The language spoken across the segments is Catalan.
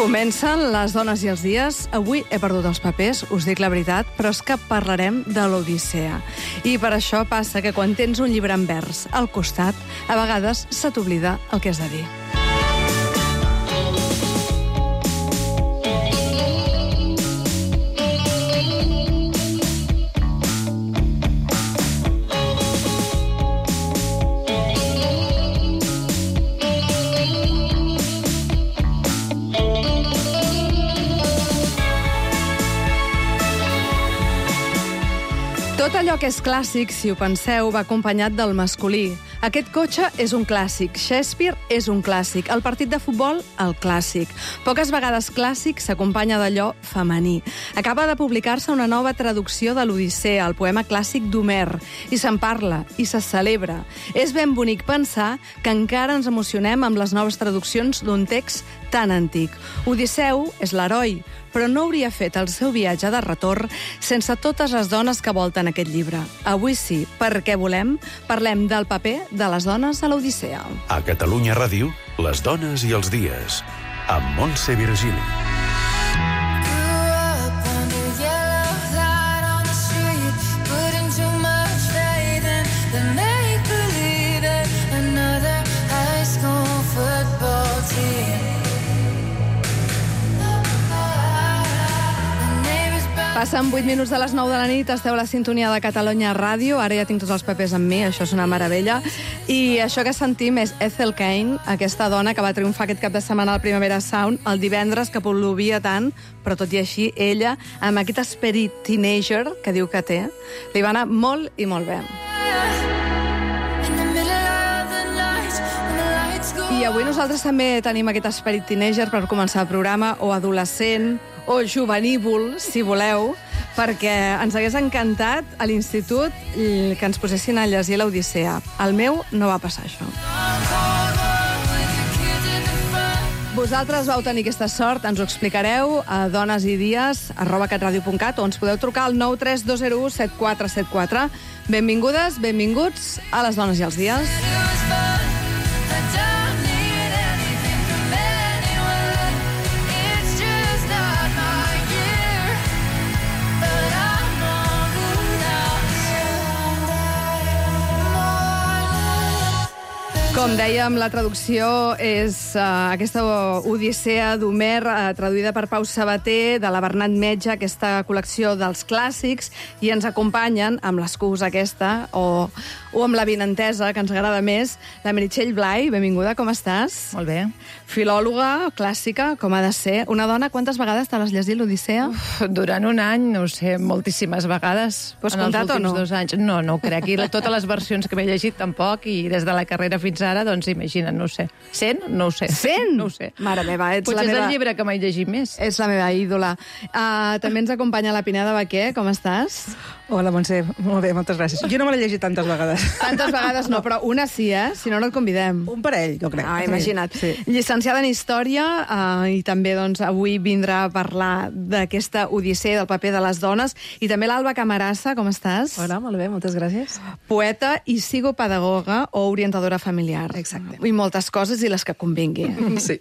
Comencen les dones i els dies. Avui he perdut els papers, us dic la veritat, però és que parlarem de l'Odissea. I per això passa que quan tens un llibre en vers al costat, a vegades se t'oblida el que has de dir. Tot allò que és clàssic, si ho penseu, va acompanyat del masculí. Aquest cotxe és un clàssic, Shakespeare és un clàssic, el partit de futbol, el clàssic. Poques vegades clàssic s'acompanya d'allò femení. Acaba de publicar-se una nova traducció de l'Odissea, el poema clàssic d'Homer, i se'n parla, i se celebra. És ben bonic pensar que encara ens emocionem amb les noves traduccions d'un text tan antic. Odisseu és l'heroi, però no hauria fet el seu viatge de retorn sense totes les dones que volten aquest llibre. Avui sí, perquè parlem del paper de les dones a l'Odissea. A Catalunya Ràdio, les dones i els dies, amb Montse Virgili. Passen 8 minuts de les 9 de la nit, esteu a la sintonia de Catalunya Ràdio, ara ja tinc tots els papers amb mi, això és una meravella, i això que sentim és Ethel Cain, aquesta dona que va triomfar aquest cap de setmana al Primavera Sound, el divendres, que plovia tant, però tot i així, ella, amb aquest esperit teenager que diu que té, li va anar molt i molt bé. I avui nosaltres també tenim aquest esperit teenager per començar el programa, o adolescent, o juvenívol, si voleu, perquè ens hagués encantat a l'institut que ens posessin a llegir l'Odissea. El meu no va passar això. Vosaltres vau tenir aquesta sort, ens ho explicareu a donesidies@catradio.cat o ens podeu trucar al 93201 7474. Benvingudes, benvinguts a les dones i els dies. Com dèiem, la traducció és aquesta Odissea d'Homer, traduïda per Pau Sabater, de la Bernat Metge, aquesta col·lecció dels clàssics, i ens acompanyen, amb l'excusa aquesta, o amb la vinentesa, que ens agrada més, la Meritxell Blay. Benvinguda, com estàs? Molt bé. Filòloga, clàssica, com ha de ser. Una dona, quantes vegades te l'has llegit, l'Odissea? Durant un any, no ho sé, moltíssimes vegades. Pots comptat o no? 2 anys. No, no ho crec. I totes les versions que m'he llegit tampoc, i des de la carrera fins ara, doncs imagina't, no ho sé. 100? No ho sé. 100? No ho sé. Mare meva, ets Potser la meva... és el llibre que m'he llegit més. Ets la meva ídola. També ens acompanya la Pineda Baquer, com estàs? Hola, Montse. Molt bé, moltes gràcies. Jo no me l'he llegit tantes vegades. Tantes vegades no, però una sí, Si no, no et convidem. Un parell, jo crec. Imagina't. Sí. Llicenciada en Història, i també doncs, avui vindrà a parlar d'aquesta Odissea, del paper de les dones, i també l'Alba Camarasa, com estàs? Hola, molt bé, moltes gràcies. Poeta i psicopedagoga o orientadora familiar. Exacte. I moltes coses i les que convingui. Sí.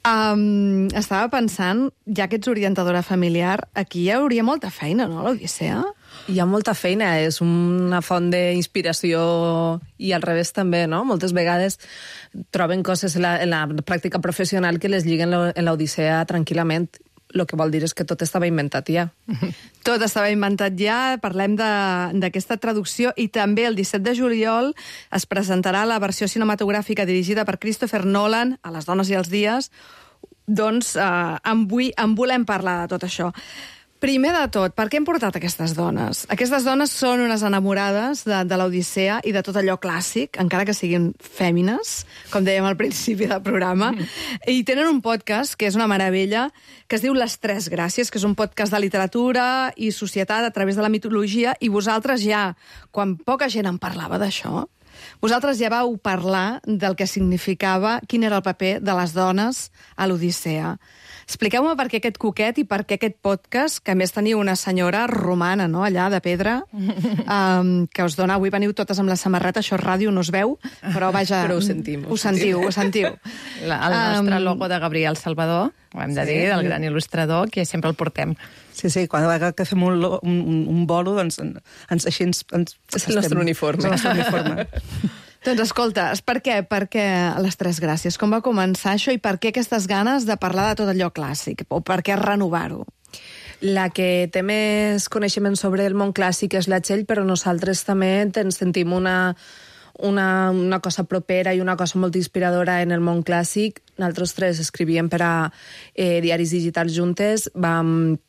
Estava pensant, ja que ets orientadora familiar, aquí hi hauria molta feina, no, l'Odissea? Hi ha molta feina, és una font d'inspiració i al revés també, no? Moltes vegades troben coses en la pràctica professional que les lliguen en l'Odissea tranquil·lament. El que vol dir és que tot estava inventat ja. Tot estava inventat ja, parlem d'aquesta traducció, i també el 17 de juliol es presentarà la versió cinematogràfica dirigida per Christopher Nolan, a Les dones i els dies. Doncs en volem parlar de tot això. Primer de tot, per què hem portat aquestes dones? Aquestes dones són unes enamorades de l'Odissea i de tot allò clàssic, encara que siguin fèmines, com dèiem al principi del programa, i tenen un podcast que és una meravella, que es diu Les Tres Gràcies, que és un podcast de literatura i societat a través de la mitologia, i vosaltres ja, quan poca gent en parlava d'això, Vosaltres ja vau parlar del que significava, quin era el paper de les dones a l'Odissea. Expliqueu-me per què aquest cuquet i per què aquest podcast, que a més teniu una senyora romana, no?, allà, de pedra, que us dona... Avui veniu totes amb la samarreta, això és ràdio, no es veu, però vaja... Però ho sentim. Ho sentiu. El nostre logo de Gabriel Salvador, ho hem de dir, del gran il·lustrador, que sempre el portem. Sí, cada vegada que fem un bolo, doncs així ens és el nostre uniforme. És el nostre uniforme. Doncs escolta, per què les Tres Gràcies? Com va començar això i per què aquestes ganes de parlar de tot allò clàssic? O per què renovar-ho? La que té més coneixement sobre el món clàssic és la Txell, però nosaltres també ens sentim una cosa propera i una cosa molt inspiradora en el món clàssic. Nosaltres tres escrivíem per a diaris digitals juntes, vam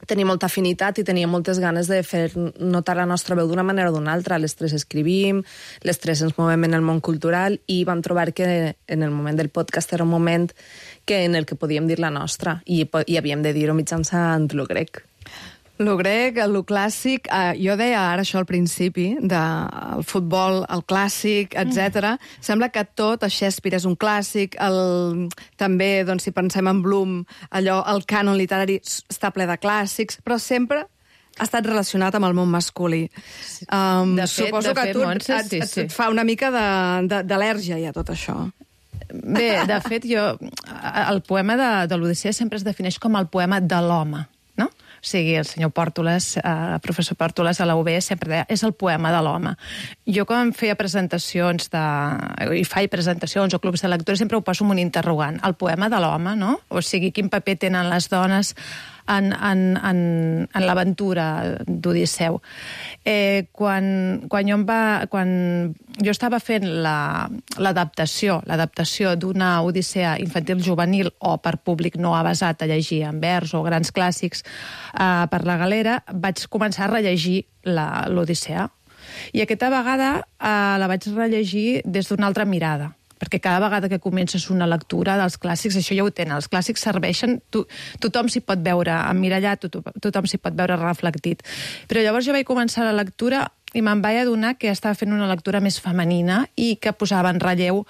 tenir molta afinitat i teníem moltes ganes de fer notar la nostra veu d'una manera o d'una altra. Les tres escrivim, les tres ens movem en el món cultural i vam trobar que en el moment del podcast era un moment en el que podíem dir la nostra i havíem de dir-ho mitjançant lo grec. Lo grec, lo clàssic, jo deia ara això al principi, del futbol, el clàssic, etc. Sembla que tot, el Shakespeare és un clàssic, també, doncs, si pensem en Bloom, allò, el cànon literari està ple de clàssics, però sempre ha estat relacionat amb el món masculí. Suposo que a tu et fa una mica d'al·lèrgia ja tot això. Bé, de fet, el poema de l'Odissea sempre es defineix com el poema de l'home, no? O sigui, el senyor Pòrtoles, el professor Pòrtoles a la UB sempre deia, és el poema de l'home. Jo quan feia presentacions i faig presentacions o clubs de lectura sempre ho poso amb un interrogant. El poema de l'home, no? O sigui, quin paper tenen les dones en l'aventura d'Odisseu. Quan jo estava fent l'adaptació d'una Odissea infantil juvenil o per públic no avesat a llegir en vers o grans clàssics per la Galera, vaig començar a rellegir l'Odissea. I aquesta vegada la vaig rellegir des d'una altra mirada, perquè cada vegada que comences una lectura dels clàssics, això ja ho tenen, els clàssics serveixen, tothom s'hi pot veure emmirallat, tothom s'hi pot veure reflectit. Però llavors jo vaig començar la lectura i me'n vaig adonar que estava fent una lectura més femenina i que posava en relleu,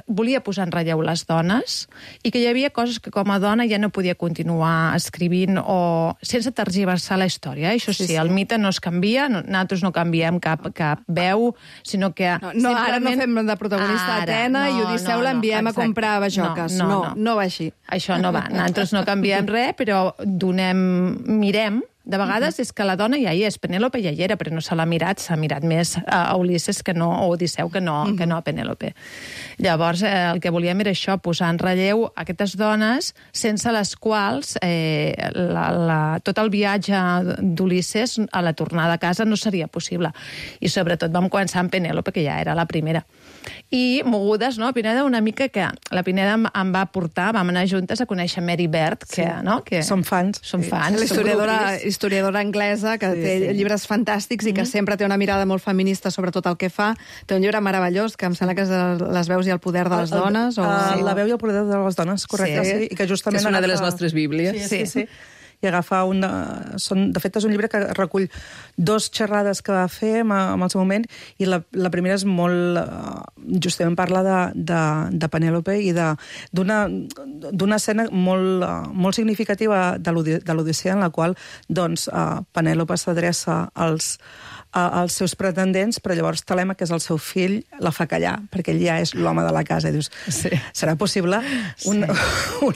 volia posar en relleu les dones i que hi havia coses que com a dona ja no podia continuar escrivint o sense tergiversar la història. Això sí, el mite no es canvia, nosaltres no canviem cap veu, sinó que... Ara no fem de protagonista Atena i Odisseu l'enviem a comprar bajoques. No va així. Això no va. Nosaltres no canviem res, però mirem. De vegades és que la dona ja hi és, Penèlope ja hi era, però no se l'ha mirat, s'ha mirat més a Ulisses o Odisseu que no a Penèlope. Llavors, el que volíem era això, posar en relleu aquestes dones sense les quals tot el viatge d'Ulisses a la tornada a casa no seria possible. I sobretot vam començar amb Penèlope, que ja era la primera. I mogudes, no? Pineda, una mica que la Pineda em va portar, vam anar juntes a conèixer Mary Beard, que som fans. Historiadora anglesa, que té llibres fantàstics i que sempre té una mirada molt feminista sobre tot el que fa. Té un llibre meravellós, que em sembla que és Les veus i el poder de les dones. La veu i el poder de les dones, correcte. Sí. I que justament és una de les nostres bíblies. Sí. I agafa de fet, és un llibre que recull 2 xerrades que va fer en el seu moment, i la primera és molt... justament parla de Penèlope i d'una escena molt significativa de l'Odissea, en la qual Penèlope s'adreça als seus pretendents, però llavors Telèmac, que és el seu fill, la fa callar, perquè ell ja és l'home de la casa. I dius, serà possible un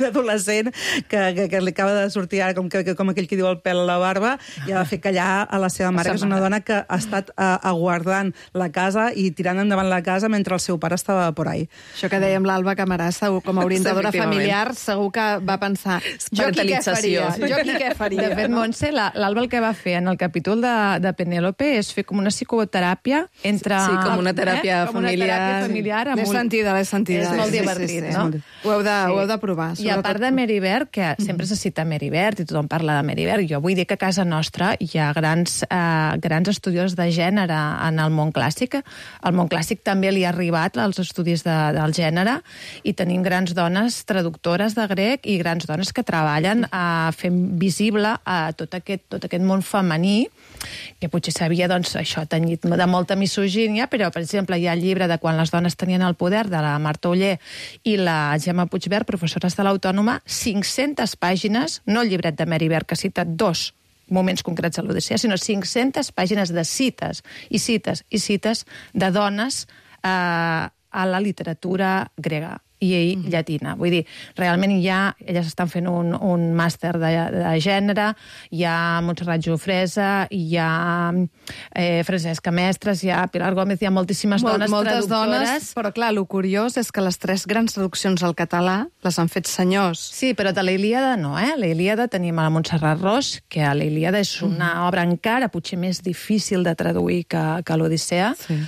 adolescent que li acaba de sortir ara, com aquell que diu el pèl a la barba, i ha de fer callar a la seva mare, que és una dona que ha estat aguardant la casa i tirant endavant la casa mentre el seu pare estava por ahí. Això que dèiem l'Alba Camarasa, com a orientadora familiar, segur que va pensar, jo aquí què faria? De fet, Montse, l'Alba el que va fer en el capítol de Penèlope és fer com una psicoteràpia entre... Sí, com una teràpia familiar. L'he sentida. És molt divertit, no? Ho heu de provar. I a part de Mary Beard, que sempre se cita Mary Beard, i tothom quan parla de Merivert. Jo vull dir que a casa nostra hi ha grans estudiosos de gènere en el món clàssic. Al món clàssic també li ha arribat als estudis del gènere i tenim grans dones traductores de grec i grans dones que treballen fent visible tot aquest món femení, que potser s'havia, doncs, això, tenyit de molta misogínia, però, per exemple, hi ha el llibre de Quan les dones tenien el poder, de la Marta Oller i la Gemma Puigvert, professores de l'Autònoma, 500 pàgines, no el llibret de Merivert, que cita 2 moments concrets de l'Odissea, sinó 500 pàgines de cites i cites i cites de dones a la literatura grega i llatina. Vull dir, realment elles estan fent un màster de gènere, hi ha Montserrat Jofresa, hi ha Francesca Mestres, hi ha Pilar Gómez, hi ha moltíssimes dones moltes traductores. dones, però clar, el curiós és que les 3 grans traduccions al català les han fet senyors. Sí, però de la Ilíada no, La Ilíada tenim a la Montserrat Ros, que la Ilíada és una obra encara potser més difícil de traduir que l'Odissea. Sí.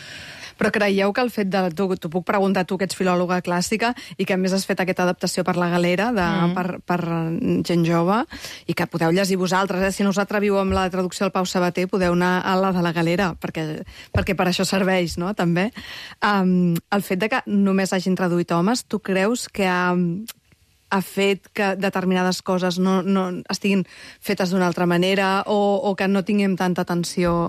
Però creieu que el fet de... T'ho puc preguntar, tu que ets filòloga clàssica i que a més has fet aquesta adaptació per la Galera per gent jove i que podeu llegir vosaltres, Si no us atreviu amb la traducció del Pau Sabater, podeu anar a la de la Galera, perquè per això serveix, no?, també. El fet de que només hagin traduït homes, tu creus que ha fet que determinades coses no estiguin fetes d'una altra manera o que no tinguem tanta atenció?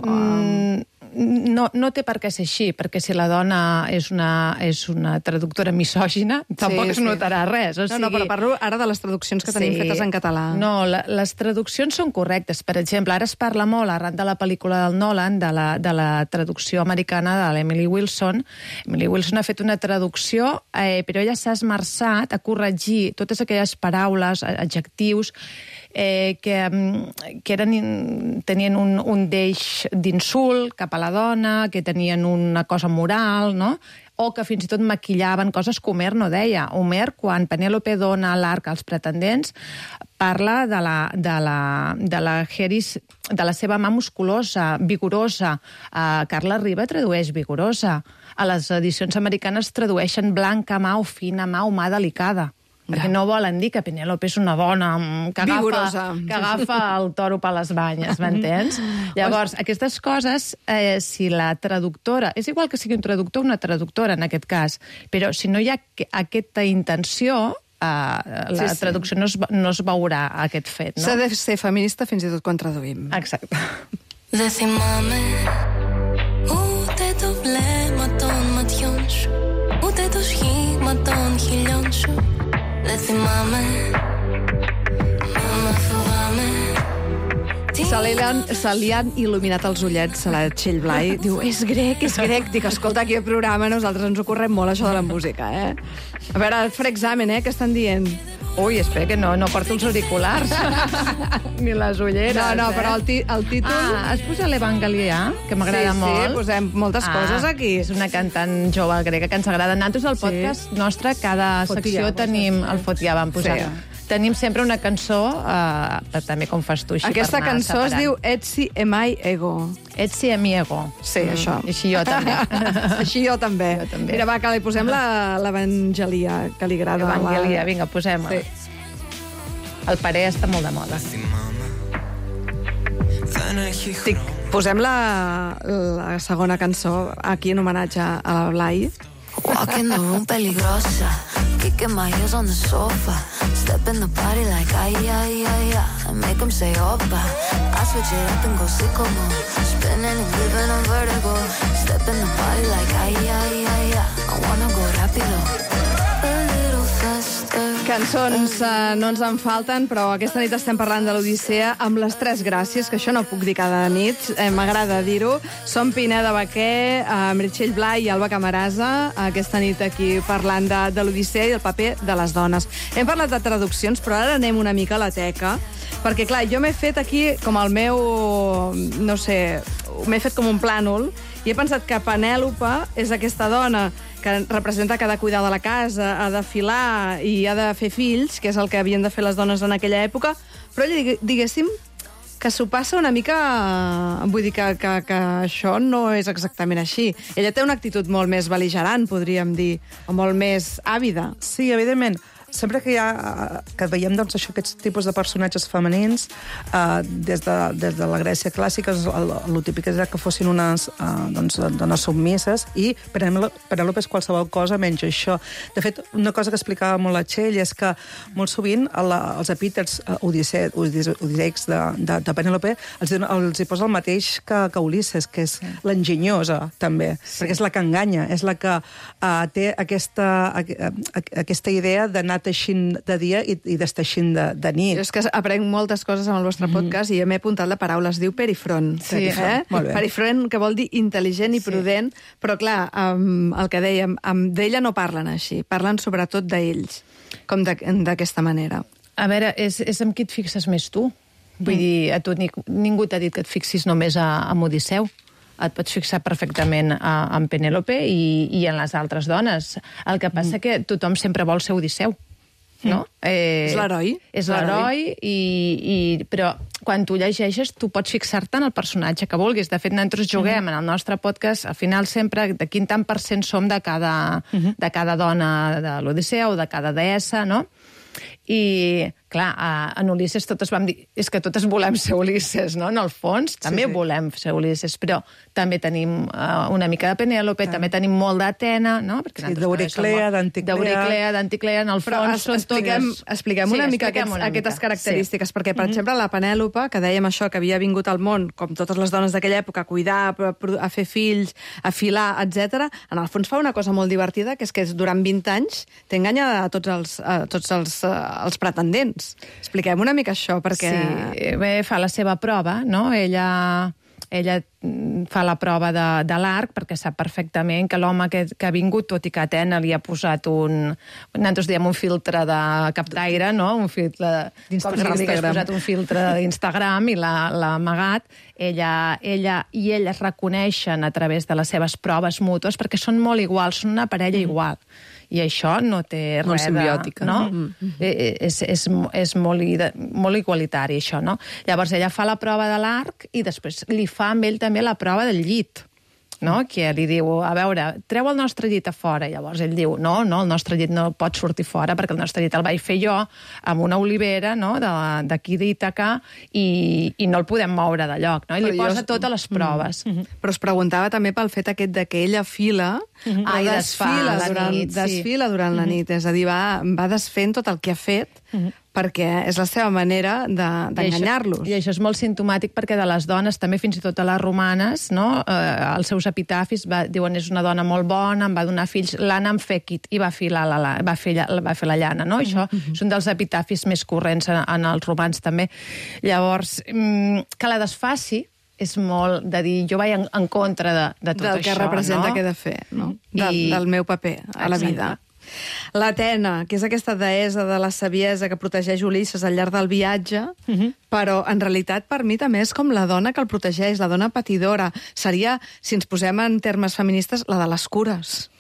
No té per què ser així, perquè si la dona és una traductora misògina, tampoc es notarà res. No, però parlo ara de les traduccions que tenim fetes en català. No, les traduccions són correctes. Per exemple, ara es parla molt, arran de la pel·lícula del Nolan, de la traducció americana de l'Emily Wilson. Emily Wilson ha fet una traducció, però ella s'ha esmerçat a corregir totes aquelles paraules, adjectius, que tenien un deix d'insult cap a la dona, que tenien una cosa moral, no?, o que fins i tot maquillaven coses que Homer no deia. Homer, quan Penèlope dona l'arc als pretendents, parla de la Heris, de la seva mà musculosa, vigorosa. Carla Riba tradueix vigorosa. A les edicions americanes tradueixen blanca mà o fina mà o mà delicada. Perquè no volen dir que Penèlope és una dona que agafa el toro per les banyes, m'entens? Llavors, aquestes coses, si la traductora... És igual que sigui un traductor o una traductora, en aquest cas, però si no hi ha aquesta intenció, la traducció no es veurà aquest fet, no? S'ha de ser feminista fins i tot quan traduïm. Exacte. Δεν θυμάμαι ούτε το βλέμμα των ματιών σου, ούτε το σχήμα των χιλιών σου. Δεν θυμάμαι, μάμα φοβάμαι. Se li han il·luminat els ullets a la Txell Blai. Diu, és grec. Dic, escolta, aquí al programa nosaltres ens ho correm molt, això de la música, A veure, faré examen, què estan dient? Ui, espera que no porto els auriculars. Ni les ulleres, No, però el títol... Has posat l'Evangelià, que m'agrada molt. Sí, posem moltes coses aquí. És una cantant jove grega que ens agrada. Nosaltres al podcast nostre, cada secció tenim... El Fotià vam posar. Tenim sempre una cançó, també com fas tu, així Aquesta per anar cançó separant. es diu Etsi emai ego. Etsi emi ego. Sí, això. Així jo també. Així jo també. Mira, va, que li posem l'Evangelia, que li agrada. Evangelia, vinga, posem-la. El parer està molt de moda. Posem la segona cançó aquí en homenatge a la Blai. Walk in the room peligrosa, kicking my heels on the sofa, step in the party like ay, ay, ay, ay, and make them say opa. I switch it up and go sicko mode, spinning and giving on vertigo, step in the party like ay, ay, ay, ay, I wanna go rápido, a little faster. Cançons no ens en falten, però aquesta nit estem parlant de l'Odissea amb les 3 gràcies, que això no puc dir cada nit, m'agrada dir-ho. Som Pineda Baquer, Meritxell Blai i Alba Camarasa, aquesta nit aquí parlant de l'Odissea i el paper de les dones. Hem parlat de traduccions, però ara anem una mica a la teca, perquè, clar, jo m'he fet aquí com el meu, no sé, m'he fet com un plànol, i he pensat que Penèlope és aquesta dona que representa que ha de cuidar de la casa, ha de filar i ha de fer fills, que és el que havien de fer les dones en aquella època, però diguéssim que s'ho passa una mica... Vull dir que això no és exactament així. Ella té una actitud molt més bel·ligerant, podríem dir, o molt més àvida. Sí, evidentment. sempre que veiem doncs, aquests tipus de personatges femenins, des de la Grècia clàssica, el típic era que fossin unes dones submises, i Penèlope és qualsevol cosa menys això. De fet, una cosa que explicava molt la Txell és que molt sovint els epítets odisseics de Penèlope els hi posa el mateix que Ulisses, que és l'enginyosa, també, perquè és la que enganya, és la que té aquesta idea d'anar teixint de dia i desteixint de nit. Jo és que aprenc moltes coses amb el vostre podcast i m'he apuntat la paraula, es diu perifront. Sí, molt bé. Perifront, que vol dir intel·ligent i prudent, però clar, el que dèiem, d'ella no parlen així, parlen sobretot d'ells, com d'aquesta manera. A veure, és amb qui et fixes més tu? Vull dir, a tu ningú t'ha dit que et fixis només en Odisseu. Et pots fixar perfectament en Penèlope i en les altres dones. El que passa que tothom sempre vol ser Odisseu, no? És l'heroi. És l'heroi, però quan tu llegeixes tu pots fixar-te en el personatge que vulguis. De fet, nosaltres juguem en el nostre podcast, al final sempre de quin tant % som de cada dona de l'Odisseu, de cada deessa, no? I, clar, en Ulisses totes vam dir és que totes volem ser Ulisses, no? En el fons també volem ser Ulisses, però també tenim una mica de Penèlope, també tenim molt d'Atena, no? D'Euriclea, d'Anticlea, en el fons són totes... Expliquem una mica aquestes característiques, perquè, per exemple, la Penèlope, que dèiem això, que havia vingut al món, com totes les dones d'aquella època, a cuidar, a fer fills, a filar, etc. En el fons fa una cosa molt divertida, que és que durant 20 anys t'enganya a tots els pretendents. Expliquem una mica això, perquè... Sí, bé, fa la seva prova, no? Ella fa la prova de l'arc, perquè sap perfectament que l'home que ha vingut, tot i que Atena li ha posat nosaltres diem un filtre de captaire, no? Un filtre d'Instagram. Com si li hagués posat un filtre d'Instagram i l'ha amagat. Ella es reconeixen a través de les seves proves mútues, perquè són molt iguals, són una parella igual. I això no té molt res simbiòtica, no? És molt igualitari, això, no? Llavors, ella fa la prova de l'arc i després li fa amb ell també la prova del llit, no? Que li diu, a veure, treu el nostre llit a fora. I llavors ell diu, no, el nostre llit no pot sortir fora perquè el nostre llit el vaig fer jo amb una olivera, no?, d'aquí d'Ítaca i no el podem moure de lloc, no? I li posa totes les proves. Però es preguntava també pel fet aquest de que ella fila i desfila durant la nit. És a dir, va desfent tot el que ha fet perquè és la seva manera d'enganyar-los. I això és molt simptomàtic perquè de les dones, també fins i tot a les romanes, no? Els seus epitafis diuen és una dona molt bona, em va donar fills, l'Anna em fèquit, i va fer la llana, no? Això és un dels epitafis més corrents en els romans també. Llavors, que la desfaci és molt de dir, jo vaig en contra de tot del això, que representa que he de fer, no? Del meu paper a la vida. L'Atena, que és aquesta deessa de la saviesa que protegeix Ulisses al llarg del viatge, però en realitat per mi també és com la dona que el protegeix, la dona patidora. Seria, si ens posem en termes feministes, la de les cures.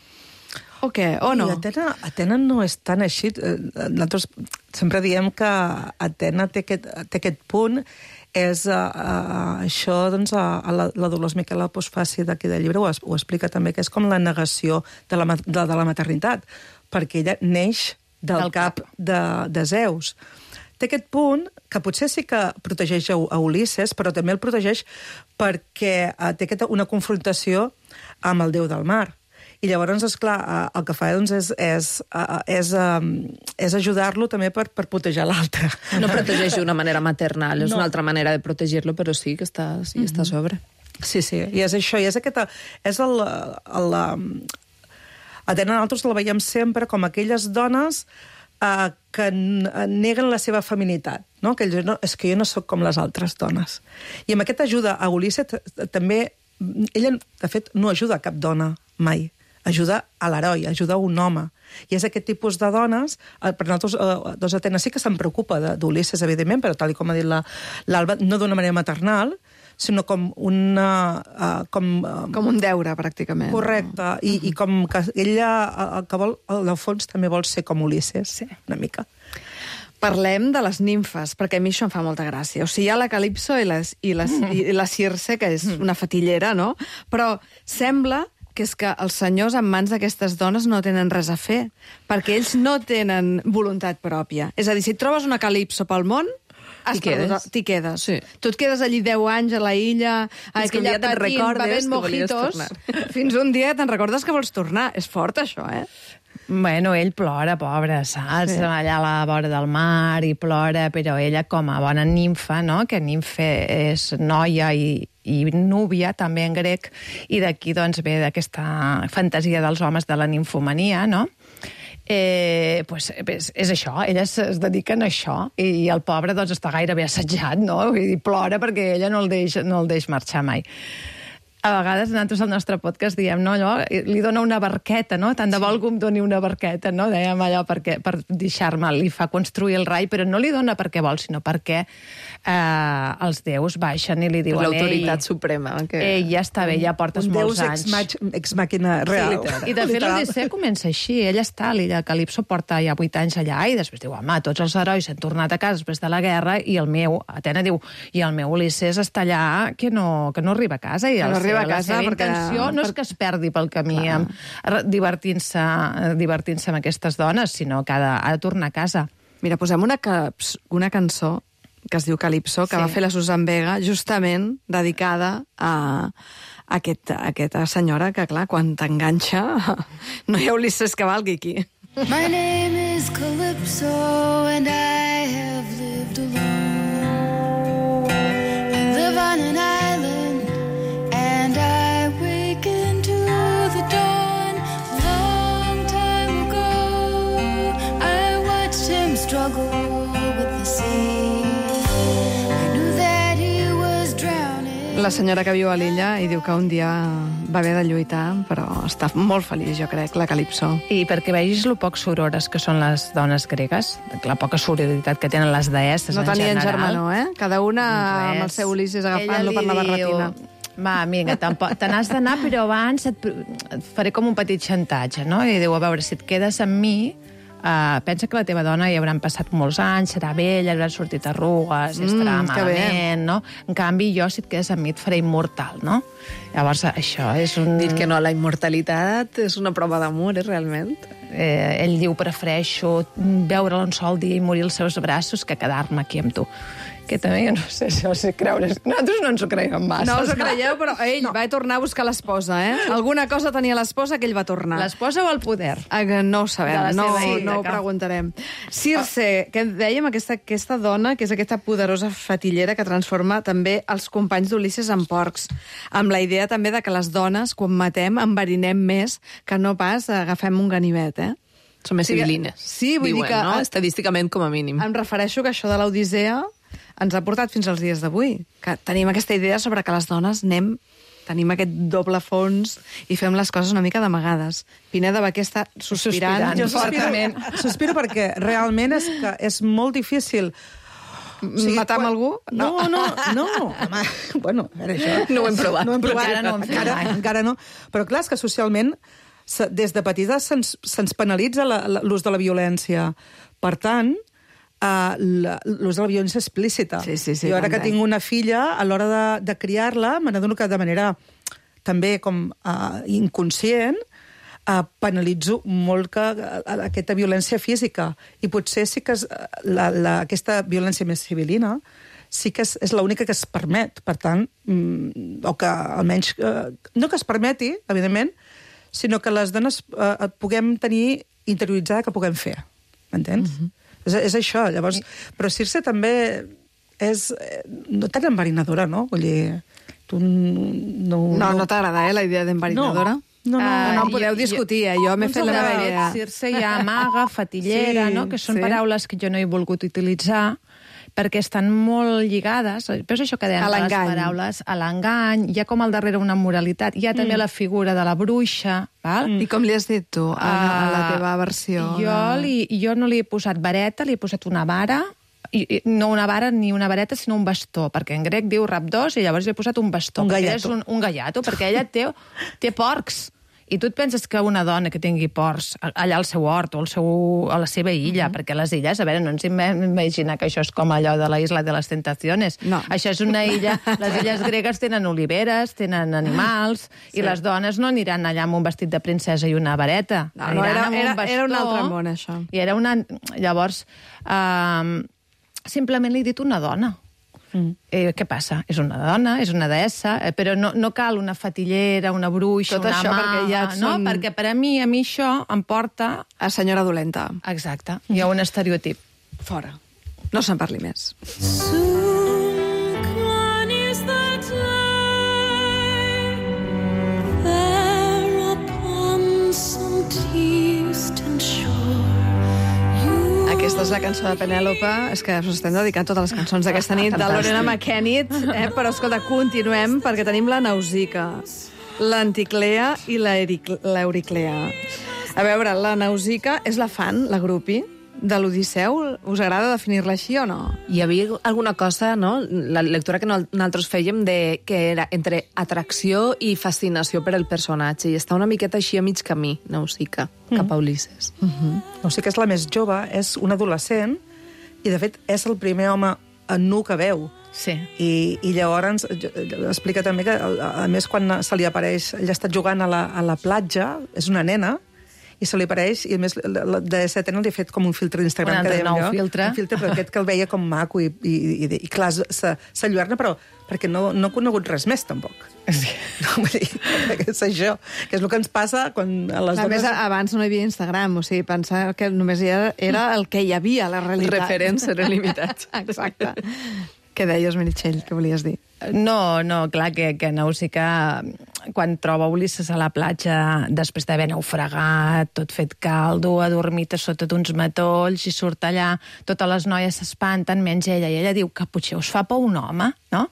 O què? O no? I Atena no és tan així. Nosaltres sempre diem que Atena té aquest punt, és això, doncs, la Dolors Miquel Postfaci d'aquí del llibre ho explica també, que és com la negació de la maternitat, perquè ella neix del cap de Zeus. Té aquest punt que potser sí que protegeix a Ulisses, però també el protegeix perquè té una confrontació amb el déu del mar. I llavors, esclar, el que fa doncs, és ajudar-lo també per protegir l'altre. No protegeix d'una manera maternal, és una altra manera de protegir-lo, però sí que està a sobre. Sí, i és això, i és aquesta... Atena, nosaltres la veiem sempre com aquelles dones que neguen la seva feminitat, no? Que ell, és que jo no sóc com les altres dones. I amb aquesta ajuda a Ulisses també... Ella, de fet, no ajuda a cap dona mai. Ajuda a l'heroi, ajuda a un home. I és aquest tipus de dones, per nosaltres, Atena sí que se'n preocupa d'Ulisses, evidentment, però tal com ha dit l'Alba, no d'una manera maternal, sinó com com un deure, pràcticament. Correcte, i com que ella, el que vol, al fons, també vol ser com Ulisses, una mica. Parlem de les nimfes, perquè a mi això em fa molta gràcia. O sigui, hi ha la Calipso i la Circe, que és una fatillera, no? Però sembla que és que els senyors en mans d'aquestes dones no tenen res a fer, perquè ells no tenen voluntat pròpia. És a dir, si et trobes una calipso pel món, t'hi quedes. Sí. Tu et quedes allí 10 anys a la illa, Fins que un dia te'n recordes bevent que volies mojitos, tornar. fins un dia te'n recordes que vols tornar. És fort, això, eh? Bueno, ell plora, pobre, saps? Sí. Allà a la vora del mar i plora, però ella com a bona nimfa, no? Que nimfe és noia i núvia, també en grec, i d'aquí doncs ve d'aquesta fantasia dels homes de la nimfomania, no? Pues, és això, elles es dediquen a això, i el pobre doncs està gairebé assetjat, no? I plora perquè ella no el deix marxar mai. A vegades, nosaltres al nostre podcast diem, no, allò, li dona una barqueta, no? Tant de bo algú em doni una barqueta, no? Dèiem allò per deixar-me, li fa construir el rai, però no li dona perquè vol, sinó perquè els déus baixen i li diuen... L'autoritat suprema. Que... ja està bé, ja portes molts anys. Un deus ex màquina real. I de fet l'Odissea comença així. Ella està a l'illa Calipso, porta ja 8 anys allà, i després diu, home, tots els herois han tornat a casa després de la guerra, i el meu, Atena diu, i el meu Ulisses està allà que no arriba a casa, i la seva intenció no és que es perdi pel camí divertint-se amb aquestes dones, sinó que ha de tornar a casa. Mira, posem una cançó que es diu Calipso, que va fer la Susan Vega, justament dedicada a aquesta senyora que, clar, quan t'enganxa no hi ha Ulisses que valgui aquí. My name is Calypso and I have lived alone. I live on an island and I wake into the dawn. Long time ago I watched him struggle with the sea. I knew that he was drowning. La senyora que viu a l'illa i diu que un dia va haver de lluitar, però està molt feliç, jo crec, la Calipso. I perquè vegis lo poc sorores que són les dones gregues, la poca sororitat que tenen les deesses en general. No tenien germanor, eh? Cada una amb el seu Ulisses agafant-lo per la barretina. Va, vinga, te n'has d'anar, però abans et faré com un petit xantatge, no? I diu, a veure, si et quedes amb mi, pensa que la teva dona hi hauran passat molts anys, serà vella, hauran sortit arrugues, estarà malament, no? En canvi, jo, si et quedes amb mi, et faré immortal, no? Llavors, això és un... Dir que no, la immortalitat és una prova d'amor, realment. Ell diu, prefereixo veure'l un sol dia i morir als seus braços que quedar-me aquí amb tu. Que també, jo no sé si creure... Nosaltres no ens ho creiem massa. No us ho creieu, però ell va tornar a buscar l'esposa, eh? Alguna cosa tenia l'esposa que ell va tornar. L'esposa o el poder? No ho sabem, no ho preguntarem. Circe, que dèiem aquesta dona, que és aquesta poderosa fatillera que transforma també els companys d'Ulisses en porcs, amb la idea també de que les dones, quan matem, enverinem més que no pas agafem un ganivet, eh? Són més civilines. Sí, vull dir que... no? Estadísticament, com a mínim. Em refereixo que això de l'Odissea ens ha portat fins als dies d'avui, que tenim aquesta idea sobre que les dones tenim aquest doble fons i fem les coses una mica d'amagades. Pineda Baquer està sospirant. Jo sospiro perquè realment és molt difícil... Matar amb algú? No. Home, bueno, això... No ho hem provat. No ho hem provat. Encara no ho hem fet mai. Encara no. Però clar, és que socialment des de petites se'ns penalitza l'ús de la violència. Per tant, l'ús de la violència explícita. Sí, jo ara que tinc una filla, a l'hora de criar-la, me n'adono que de manera també com inconscient penalitzo molt aquesta violència física. I potser sí que aquesta violència més civilina sí que és l'única que es permet. Per tant, o que almenys... No que es permeti, evidentment, sinó que les dones puguem tenir interioritzada que puguem fer. M'entens? És això, llavors... Però Circe també és no tan enverinadora, no? Vull dir, tu no... No t'agrada, la idea d'enverinadora? No podeu discutir, jo m'he fet la meva idea. Circe hi ha maga, fatillera, no? Que són paraules que jo no he volgut utilitzar perquè estan molt lligades, però és això que dèiem, les paraules, a l'engany, hi ha com al darrere una moralitat, hi ha també la figura de la bruixa, val? I com li has dit tu, a la teva versió? Jo no li he posat vareta, li he posat una vara, no una vara ni una vareta, sinó un bastó, perquè en grec diu rapdós i llavors li he posat un bastó. Un gallato. Un gallato, perquè ella té porcs. I tu et penses que una dona que tingui ports allà al seu hort o a la seva illa, perquè les illes, a veure, no ens imagina que això és com allò de la Isla de les Tentaciones. No. Això és una illa... Les illes gregues tenen oliveres, tenen animals, i les dones no aniran allà amb un vestit de princesa i una vareta. No, era un altre món, això. I era una... Llavors, simplement li he dit una dona. Què passa? És una dona, és una deessa, però no cal una fatillera, una bruixa, tot una això, mà... perquè ja no, perquè per a mi això em porta... A senyora dolenta. Exacte, hi ha un estereotip. Fora. No se'n parli més. Soon gone is the day there upon some distant shore. Aquesta és la cançó de Penèlope. És que us estem dedicant totes les cançons d'aquesta nit de Lorena McKennitt. Però, escolta, continuem, perquè tenim la Nausica, l'Anticlea i l'Euriclea. A veure, la Nausica és la fan, la grupi, de l'Odisseu. Us agrada definir-la així o no? Hi havia alguna cosa, no?, la lectura que nosaltres fèiem, que era entre atracció i fascinació per el personatge, i està una miqueta així a mig camí, Nausica, cap a Ulisses. Nausica és la més jove, és un adolescent, i de fet és el primer home nu que veu. Sí. I llavors explica també que, a més, quan se li apareix, ella està jugant a la platja, és una nena, i se li apareix, i a més de 7 anys li ha fet com un filtre d'Instagram, Un altre nou filtre. Un filtre, però aquest que el veia com maco, i clar, s'enlluerna, però perquè no ha conegut res més, tampoc. Sí. No, vull dir, que és això, que és el que ens passa quan a les A més, dones... abans no hi havia Instagram, o sigui, pensar que només era el que hi havia, la realitat. Referents eren limitats. Exacte. Què deies, Meritxell? Què volies dir? No, clar, que Nausica, quan troba Ulisses a la platja, després d'haver naufragat, tot fet caldo, adormit a sota d'uns matolls, i surt allà, totes les noies s'espanten, menys ella, i ella diu que potser us fa por un home, no?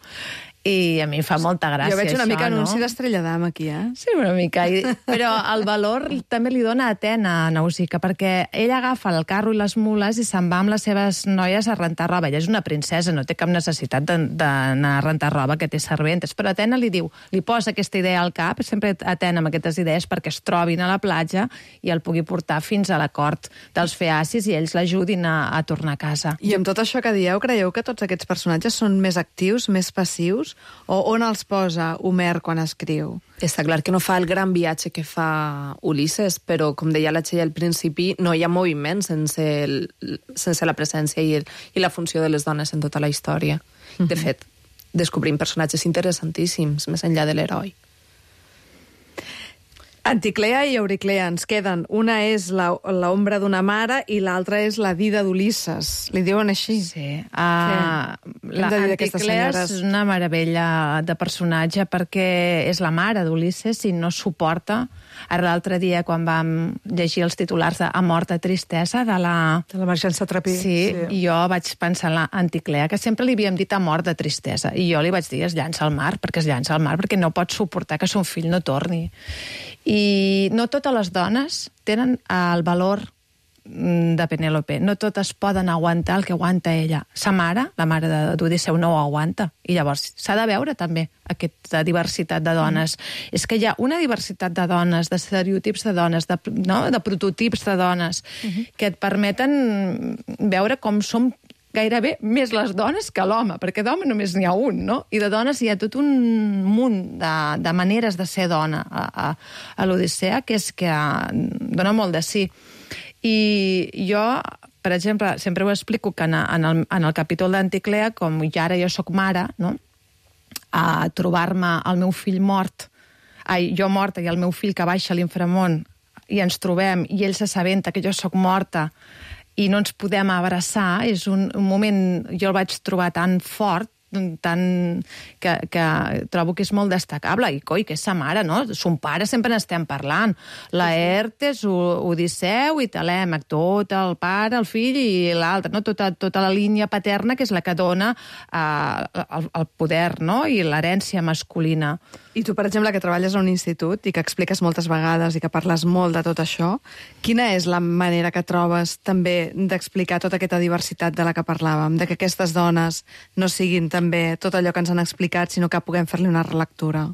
I a mi em fa molta gràcia, Jo veig una això, mica anunci no? d'Estrella d'Am aquí, eh? Sí, una mica. Però el valor també li dona a Atena, a Nausica, perquè ella agafa el carro i les mules i se'n va amb les seves noies a rentar roba. Ella és una princesa, no té cap necessitat d'anar a rentar roba, que té serventes. Però Atena li diu, li posa aquesta idea al cap, sempre Atena amb aquestes idees, perquè es trobin a la platja i el pugui portar fins a la cort dels feacis i ells l'ajudin a tornar a casa. I amb tot això que dieu, creieu que tots aquests personatges són més actius, més passius? O on els posa Homer quan escriu? Està clar que no fa el gran viatge que fa Ulisses, però, com deia la Txell al principi, no hi ha moviment sense la presència i la funció de les dones en tota la història. De fet, descobrim personatges interessantíssims, més enllà de l'heroi. Anticlea i Euriclea ens queden. Una és l'ombra d'una mare i l'altra és la dida d'Ulisses. Li diuen així? Sí. L'Anticlea és una meravella de personatge perquè és la mare d'Ulisses i no suporta. Ara l'altre dia, quan vam llegir els titulars de A mort de tristesa, de la Margença Trapí. Sí, i jo vaig pensar en l'Anticlea, que sempre li havíem dit A mort de tristesa. I jo li vaig dir, es llança al mar, perquè no pot suportar que son fill no torni. I no totes les dones tenen el valor de Penèlope. No totes poden aguantar el que aguanta ella. Sa mare, la mare d'Odisseu, no ho aguanta. I llavors s'ha de veure també aquesta diversitat de dones. És que hi ha una diversitat de dones, d'estereotips de dones, de prototips de dones, que et permeten veure com som gairebé més les dones que l'home, perquè d'home només n'hi ha un, no? I de dones hi ha tot un munt de maneres de ser dona a l'Odissea, que és que dona molt de sí. I jo, per exemple, sempre ho explico que en el capítol d'Anticlea, com ja ara jo soc mare, no? A trobar-me el meu fill mort, jo morta i el meu fill que baixa a l'inframont, i ens trobem, i ell s'assabenta que jo sóc morta, i no ens podem abraçar, és un moment, jo el vaig trobar tan fort, que trobo que és molt destacable, i coi, que és sa mare, no? Son pare sempre n'estem parlant. Laertes, Odisseu i Telèmac, tot el pare, el fill i l'altre, no? Tota la línia paterna, que és la que dona el poder, no? I l'herència masculina. I tu, per exemple, que treballes a un institut i que expliques moltes vegades i que parles molt de tot això, quina és la manera que trobes també d'explicar tota aquesta diversitat de la que parlàvem, de que aquestes dones no siguin també tot allò que ens han explicat, sinó que puguem fer-li una relectura?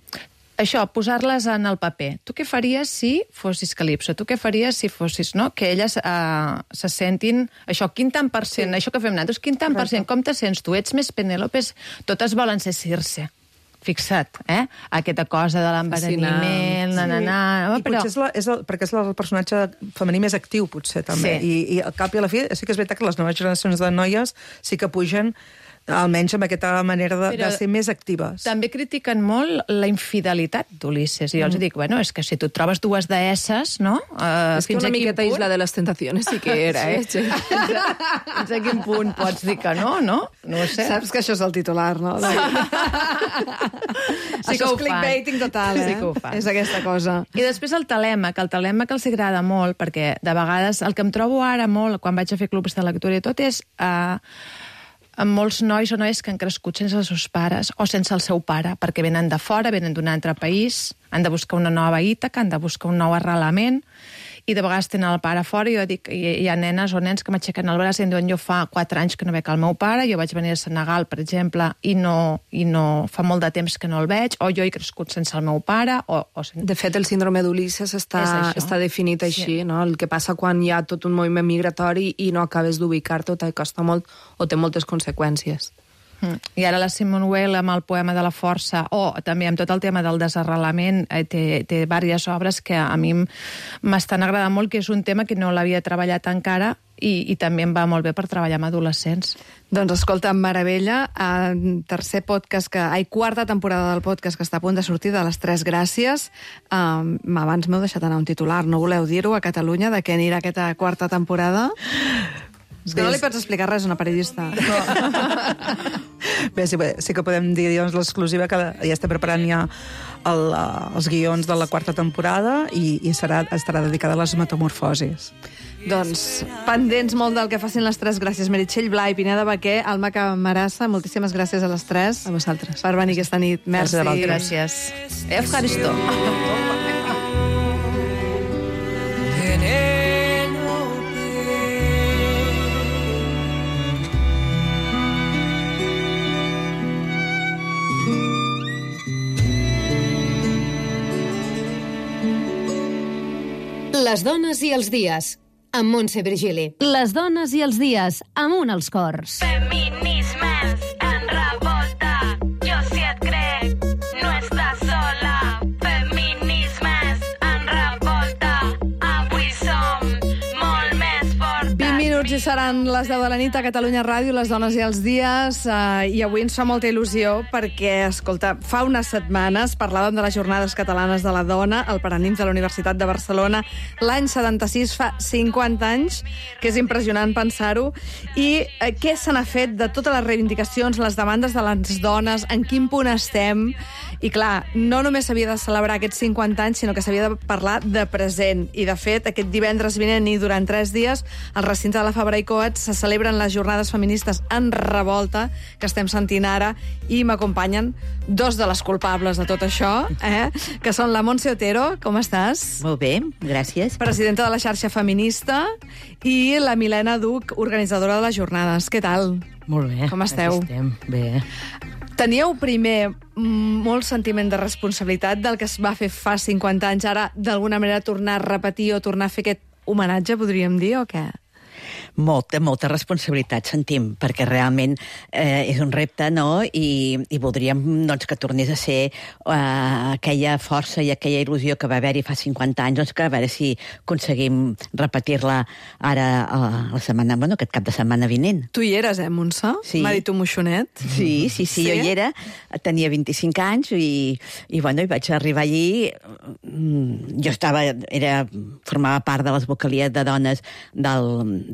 això, posar-les en el paper. Tu què faries si fossis Calipso? Tu què faries si fossis, no? Que elles se sentin... Això, quin tant per cent, això que fem nosaltres, quin tant per cent, com te sents tu? Ets més Penèlopes? Totes volen ser Circe. Fixa't, aquesta cosa de l'enveriniment, I potser perquè és el personatge femení més actiu, potser, també. I al cap i a la fi, sí que és veritat que les noves generacions de noies sí que pugen almenys amb aquesta manera de ser més actives. També critiquen molt la infidelitat d'Ulisses. I jo els dic, bueno, és que si tu trobes dues deesses, no? És que una miqueta Isla de les Tentaciones sí que era, Fins a quin punt pots dir que no, no? No ho sé. Saps que això és el titular, no? Sí que ho fan. Clickbaiting total, Sí que ho fan. És aquesta cosa. I després el telèmac els agrada molt, perquè de vegades el que em trobo ara molt, quan vaig a fer clubs de lectura i tot, és amb molts nois o noies que han crescut sense els seus pares o sense el seu pare, perquè venen de fora, venen d'un altre país, han de buscar una nova Ítaca, han de buscar un nou arrelament, i de vegades tenen el pare fora, i jo dic, hi ha nenes o nens que m'aixequen el braç i em diuen, jo fa 4 anys que no veig el meu pare, jo vaig venir a Senegal, per exemple, i no fa molt de temps que no el veig, o jo he crescut sense el meu pare, De fet, el síndrome d'Ulisses està definit així, no? El que passa quan hi ha tot un moviment migratori i no acabes d'ubicar-te, o costa molt, o té moltes conseqüències. I ara la Simone Weil amb el poema de la força, o també amb tot el tema del desarrelament, té diverses obres que a mi m'estan agradant molt, que és un tema que no l'havia treballat encara i també em va molt bé per treballar amb adolescents. Doncs escolta, meravella, quarta temporada del podcast que està a punt de sortir, de les 3 gràcies. Abans m'heu deixat anar un titular, no voleu dir-ho a Catalunya, de què anirà aquesta quarta temporada? És que no li pots explicar res a una periodista. Bé, sí que podem dir l'exclusiva, que ja estem preparant ja els guions de la quarta temporada i estarà dedicada a les metamorfosis. Doncs pendents molt del que facin les 3 gràcies. Meritxell Blai, Pineda Baquer, Alma Camarasa, moltíssimes gràcies a les 3. A vosaltres. Per venir aquesta nit. Merci. Gràcies. Efkaristo. Les dones i els dies, amb Montse Virgili. Les dones i els dies, amunt els cors. Feminismes en revolta, jo si et crec, no estàs sola. Feminismes en revolta, avui som molt més fortes. 20 minuts i seran les 10 de la nit a Catalunya Ràdio, les dones i els dies, i avui ens fa molta il·lusió perquè, escolta, fa unes setmanes parlàvem de les Jornades Catalanes de la Dona, el Paranimf de la Universitat de Barcelona, l'any 76, fa 50 anys, que és impressionant pensar-ho, i què se n'ha fet de totes les reivindicacions, les demandes de les dones, en quin punt estem, i clar, no només s'havia de celebrar aquests 50 anys, sinó que s'havia de parlar de present, i de fet, aquest divendres vinent i durant 3 dies, al recinte de la Fabra i Coats se celebren les Jornades Feministes en Revolta, que estem sentint ara, i m'acompanyen 2 de les culpables de tot això, que són la Montse Otero, com estàs? Molt bé, gràcies. Presidenta de la xarxa feminista, i la Milena Duch, organitzadora de les jornades. Què tal? Molt bé. Com esteu? Aquí estem, bé. Teníeu primer molt sentiment de responsabilitat del que es va fer fa 50 anys, ara d'alguna manera tornar a repetir o tornar a fer aquest homenatge, podríem dir, o què? Molta responsabilitat sentim, perquè realment és un repte, no? I voldríem doncs, que tornés a ser aquella força i aquella il·lusió que va haver-hi fa 50 anys, doncs que a veure si aconseguim repetir-la ara la setmana, bueno, aquest cap de setmana vinent. Tu hi eres, Montse? Sí. M'ha dit un moixonet. Sí, jo hi era, tenia 25 anys i vaig arribar allí. Jo formava part de les vocalies de dones de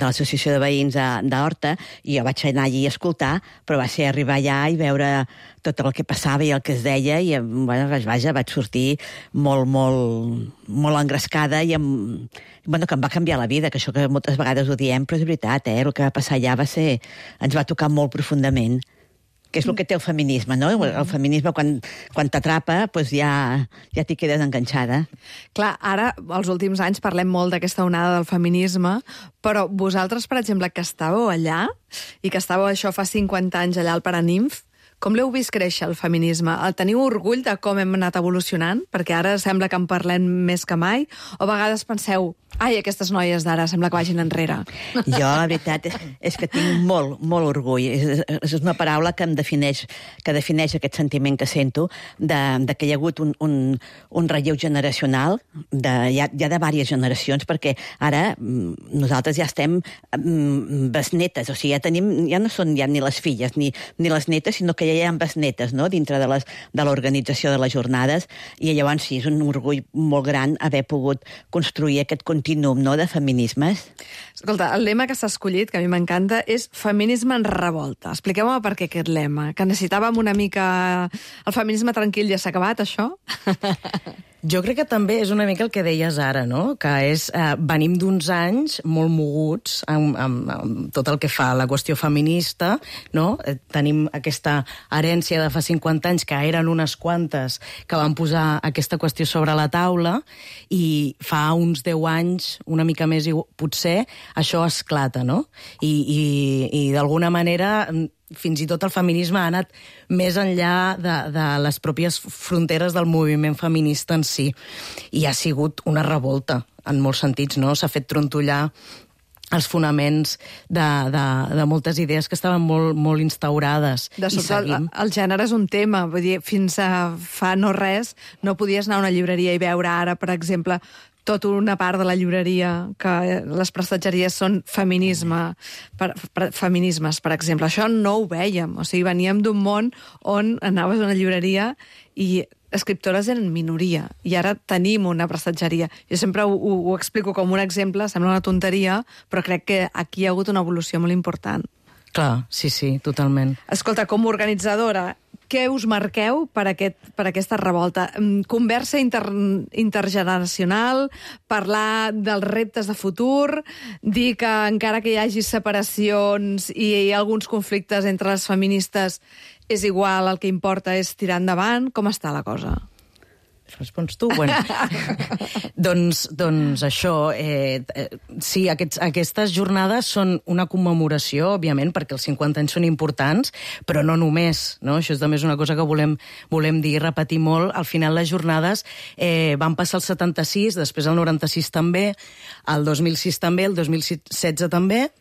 l'Associació de Veïns d'Horta, i jo vaig anar allí a escoltar, però va ser arribar allà i veure tot el que passava i el que es deia, i vaig sortir molt engrescada i que em va canviar la vida, que això que moltes vegades ho diem, però és veritat, el que va passar allà ens va tocar molt profundament, que és el que té el feminisme, no? El feminisme, quan t'atrapa, doncs ja t'hi quedes enganxada. Clar, ara, els últims anys, parlem molt d'aquesta onada del feminisme, però vosaltres, per exemple, que estàveu allà, i que estàveu això fa 50 anys allà al Paranimf, Com l'heu vist créixer, el feminisme? Teniu orgull de com hem anat evolucionant? Perquè ara sembla que en parlem més que mai. O a vegades penseu, ai, aquestes noies d'ara sembla que vagin enrere. Jo, la veritat, és que tinc molt, molt orgull. És una paraula que em defineix aquest sentiment que sento de que hi ha hagut un relleu generacional ja de diverses generacions, perquè ara nosaltres ja estem besnetes, o sigui, ja no són ja ni les filles ni les netes, sinó que ja hi ha besnetes, no?, dintre de l'organització de les jornades, i llavors sí, és un orgull molt gran haver pogut construir aquest continuum, no?, de feminismes. Escolta, el lema que s'ha escollit, que a mi m'encanta, és feminisme en revolta. Expliqueu-me per què aquest lema, que necessitàvem una mica... El feminisme tranquil ja s'ha acabat, això? Jo crec que també és una mica el que deies ara, no?, que és, venim d'uns anys molt moguts amb tot el que fa la qüestió feminista, no? Tenim aquesta herència de fa 50 anys, que eren unes quantes que van posar aquesta qüestió sobre la taula, i fa uns 10 anys, una mica més potser, això esclata, no? I d'alguna manera... fins i tot el feminisme ha anat més enllà de les pròpies fronteres del moviment feminista en si. I ha sigut una revolta, en molts sentits, no? S'ha fet trontollar els fonaments de moltes idees que estaven molt instaurades. De sobte, el gènere és un tema. Vull dir, fins a fa no res no podies anar a una llibreria i veure ara, per exemple, tota una part de la llibreria que les prestatgeries són feminismes, per exemple. Això no ho vèiem. O sigui, veníem d'un món on anaves a una llibreria i escriptores eren minoria, i ara tenim una prestatgeria. Jo sempre ho explico com un exemple, sembla una tonteria, però crec que aquí hi ha hagut una evolució molt important. Clar, sí, totalment. Escolta, com a organitzadora, què us marqueu per aquesta revolta? Conversa intergeneracional, parlar dels reptes de futur, dir que encara que hi hagi separacions i hi ha alguns conflictes entre les feministes, és igual, el que importa és tirar endavant. Com està la cosa? Respons tu? Bueno. doncs això, sí, aquestes jornades són una commemoració, òbviament, perquè els 50 anys són importants, però no només, no? Això és també una cosa que volem dir i repetir molt. Al final les jornades van passar el 76, després el 96 també, el 2006 també, el 2016 també,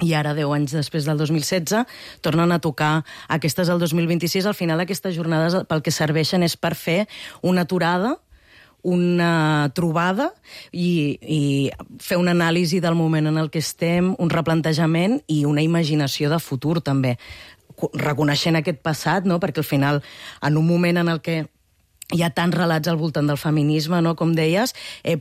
i ara, 10 anys després del 2016, tornen a tocar aquestes del 2026. Al final, aquestes jornades pel que serveixen és per fer una aturada, una trobada i fer una anàlisi del moment en el que estem, un replantejament i una imaginació de futur, també. Reconeixent aquest passat, no?, perquè al final, en un moment en el que hi ha tants relats al voltant del feminisme, no?, com deies,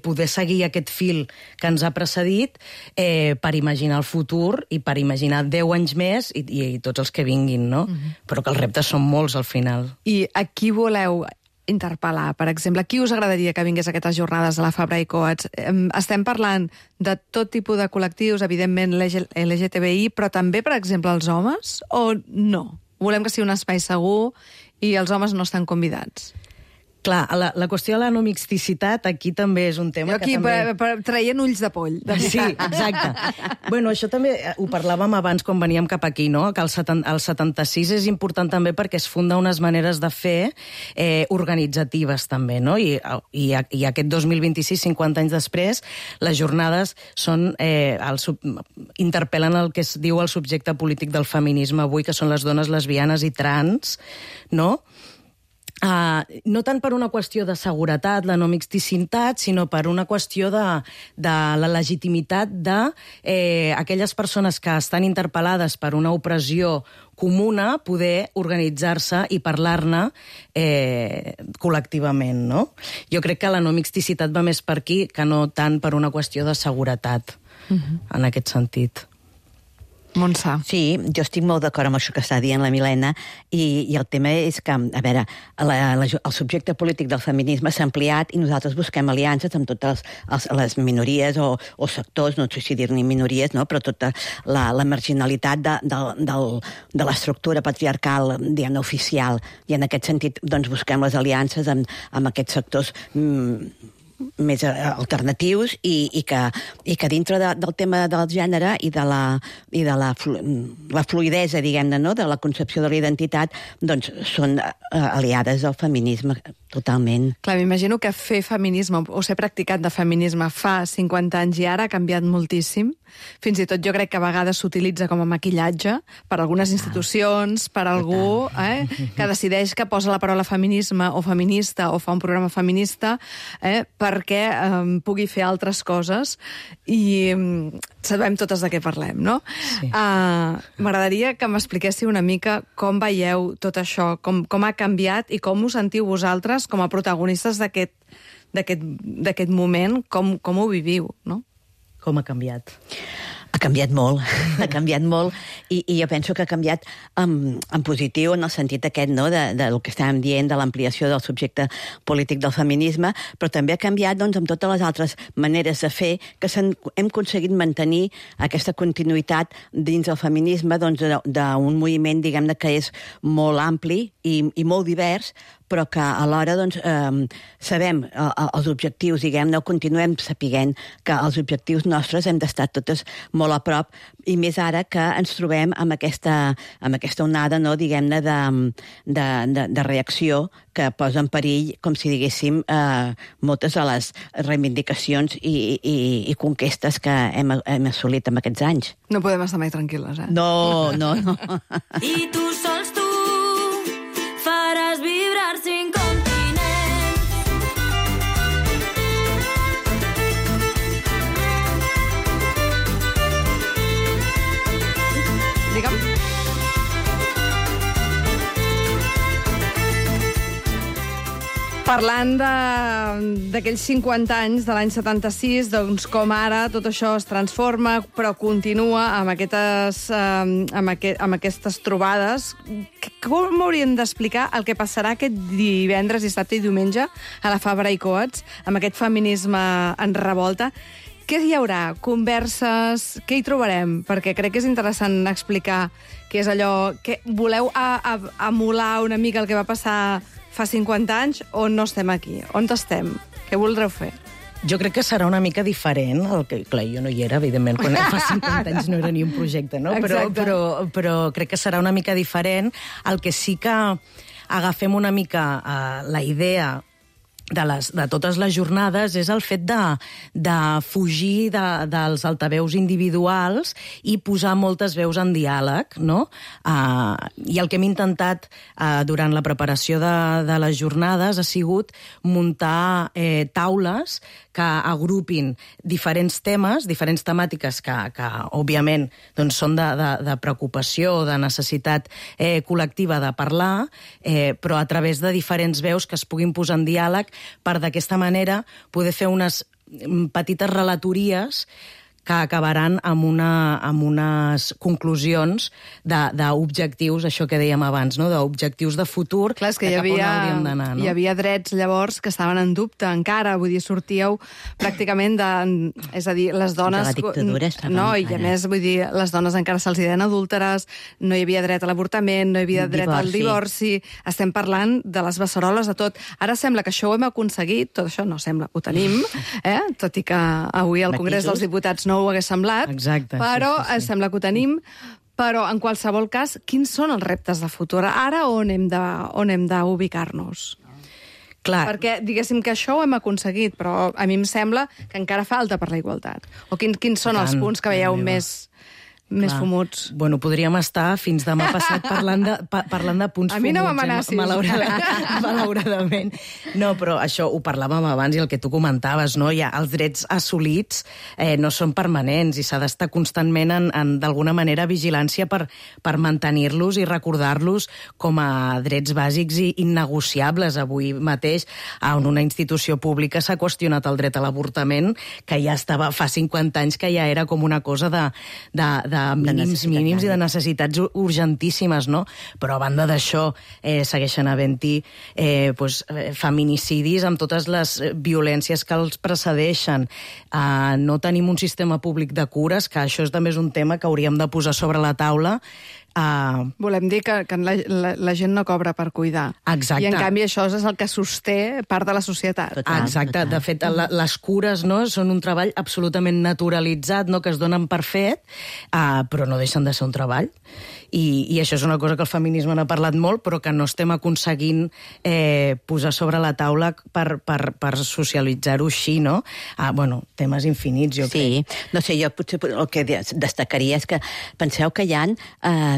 poder seguir aquest fil que ens ha precedit per imaginar el futur i per imaginar 10 anys més i tots els que vinguin, no? Però que els reptes són molts, al final. I a qui voleu interpel·lar? Per exemple, qui us agradaria que vingués a aquestes jornades a la Fabra i Coats? Estem parlant de tot tipus de col·lectius, evidentment LGTBI, però també, per exemple, els homes? O no? Volem que sigui un espai segur i els homes no estan convidats? Clar, la qüestió de la no mixticitat aquí també és un tema que també... traient ulls de poll. Sí, exacte. Bueno, això també ho parlàvem abans quan veníem cap aquí, no?, que el 76 és important també perquè es funda unes maneres de fer organitzatives també, no? I aquest 2026, 50 anys després, les jornades són interpel·len el que es diu el subjecte polític del feminisme avui, que són les dones lesbianes i trans, no?, no tant per una qüestió de seguretat, la no mixticitat, sinó per una qüestió de la legitimitat d'aquelles persones que estan interpel·lades per una opressió comuna, poder organitzar-se i parlar-ne col·lectivament, no? Jo crec que la no mixticitat va més per aquí que no tant per una qüestió de seguretat, en aquest sentit. Montse. Sí, jo estic molt d'acord amb això que està dient la Milena i el tema és que, a veure, el subjecte polític del feminisme s'ha ampliat i nosaltres busquem aliances amb totes les minories o sectors, no sé si dir-ne minories, no? Però tota la marginalitat de l'estructura patriarcal, diguem-ne, oficial. I en aquest sentit doncs, busquem les aliances amb aquests sectors més alternatius i que dintre del tema del gènere i de la fluidesa, diguem-ne, no? De la concepció de la identitat, doncs són aliades al feminisme totalment. Clar, m'imagino que fer feminisme o ser practicant de feminisme fa 50 anys i ara ha canviat moltíssim. Fins i tot jo crec que a vegades s'utilitza com a maquillatge per algunes institucions, per algú que decideix que posa la paraula feminisme o feminista o fa un programa feminista perquè pugui fer altres coses i sabem totes de què parlem, no? Sí. M'agradaria que m'expliquéssiu una mica com veieu tot això, com ha canviat i com us sentiu vosaltres com a protagonistes d'aquest moment, com ho viviu, no? Com ha canviat? Ha canviat molt, i jo penso que ha canviat en positiu en el sentit aquest, no?, del que estàvem dient, de l'ampliació del subjecte polític del feminisme, però també ha canviat doncs, amb totes les altres maneres de fer que hem aconseguit mantenir aquesta continuïtat dins el feminisme doncs, d'un moviment, diguem-ne, que és molt ampli i molt divers, però que alhora doncs, sabem els objectius, diguem-ne, continuem sapiguent que els objectius nostres hem d'estar totes molt a prop, i més ara que ens trobem amb aquesta onada, no, diguem-ne, de reacció que posa en perill, com si diguéssim, moltes de les reivindicacions i conquestes que hem assolit en aquests anys. No podem estar mai tranquil·les, eh? No. I tu sols tu faràs vibrar 5 continents. Digue'm. Parlant d'aquells 50 anys de l'any 76, doncs com ara tot això es transforma, però continua amb aquestes trobades. Com hauríem d'explicar el que passarà aquest divendres, dissabte i diumenge a la Fabra i Coats, amb aquest feminisme en revolta? Què hi haurà? Converses? Què hi trobarem? Perquè crec que és interessant explicar què és allò... Que voleu emular una mica el que va passar fa 50 anys o no estem aquí? On estem? Què voldreu fer? Jo crec que serà una mica diferent. Clar, jo no hi era, evidentment, quan fa 50 anys no era ni un projecte, no? Però crec que serà una mica diferent. El que sí que agafem una mica la idea de totes les jornades és el fet de fugir dels altaveus individuals i posar moltes veus en diàleg, no? I el que hem intentat durant la preparació de les jornades ha sigut muntar taules que agrupin diferents temes, diferents temàtiques que òbviament, doncs, són de preocupació o de necessitat col·lectiva de parlar, però a través de diferents veus que es puguin posar en diàleg per d'aquesta manera poder fer unes petites relatories que acabaran amb unes conclusions d'objectius, això que dèiem abans, no? D'objectius de futur. Clar, és que hi havia drets llavors que estaven en dubte encara, vull dir, sortíeu pràcticament és a dir, les dones... De la dictadura estàvem... No, i a més, vull dir, les dones encara se'ls deien adúlteres, no hi havia dret a l'avortament, no hi havia dret al divorci, estem parlant de les beceroles, de tot. Ara sembla que això ho hem aconseguit, tot això no sembla, ho tenim, tot i que avui al Congrés dels Diputats no ho hagués semblat, exacte, però sí. Sembla que ho tenim. Però, en qualsevol cas, quins són els reptes de futur? Ara on hem d'ubicar-nos? Clar. Perquè, diguéssim que això ho hem aconseguit, però a mi em sembla que encara falta per la igualtat. O quins són els punts que veieu més fumuts? Bueno, podríem estar fins demà passat parlant de punts fumuts. A mi no m'amenacis. Malauradament. No, però això ho parlàvem abans i el que tu comentaves, no? Ja, els drets assolits no són permanents i s'ha d'estar constantment d'alguna manera vigilància per mantenir-los i recordar-los com a drets bàsics i innegociables. Avui mateix en una institució pública s'ha qüestionat el dret a l'avortament, que ja estava fa 50 anys, que ja era com una cosa de mínims i de necessitats urgentíssimes, no? Però a banda d'això segueixen havent-hi feminicidis amb totes les violències que els precedeixen. No tenim un sistema públic de cures, que això també és un tema que hauríem de posar sobre la taula. Volem dir que la gent no cobra per cuidar. Exacte. I, en canvi, això és el que sosté part de la societat. Exacte. De fet, les cures, no, són un treball absolutament naturalitzat, no, que es donen per fet, però no deixen de ser un treball. I això és una cosa que el feminisme n'ha parlat molt, però que no estem aconseguint posar sobre la taula per socialitzar-ho així, no? Bueno, temes infinits, jo crec. Sí, no sé, jo potser el que destacaria és que penseu que hi ha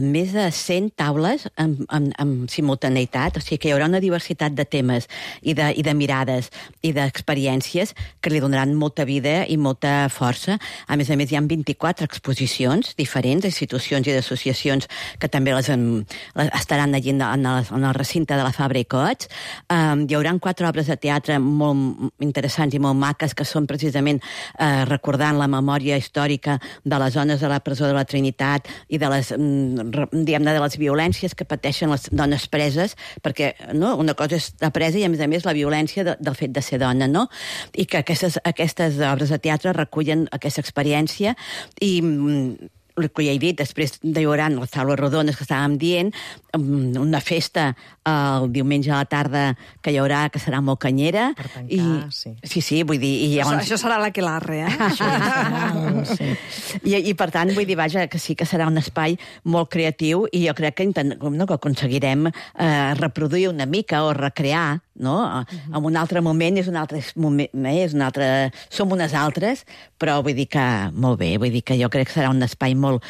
més de 100 taules amb simultaneïtat, o sigui que hi haurà una diversitat de temes i de mirades i d'experiències que li donaran molta vida i molta força. A més, hi ha 24 exposicions diferents d'institucions i d'associacions que també estaran allí en el recinte de la Fabra i Coats. Hi haurà 4 obres de teatre molt interessants i molt maques que són precisament recordant la memòria històrica de les zones de la presó de la Trinitat i de les, diguem-ne, de les violències que pateixen les dones preses, perquè no, una cosa és la presa i, a més, la violència del fet de ser dona, no? I que aquestes obres de teatre recullen aquesta experiència i el que ja he dit, després hi haurà les taules rodones que estàvem dient, una festa el diumenge a la tarda que hi haurà, que serà molt canyera. Per tancar, sí. Sí, vull dir... Això serà l'aquelarre, Sí. I per tant, vull dir, vaja, que sí que serà un espai molt creatiu i jo crec que aconseguirem reproduir una mica o recrear, no? En un altre moment és un altre moment, som unes altres, però vull dir que molt bé, vull dir que jo crec que serà un espai molt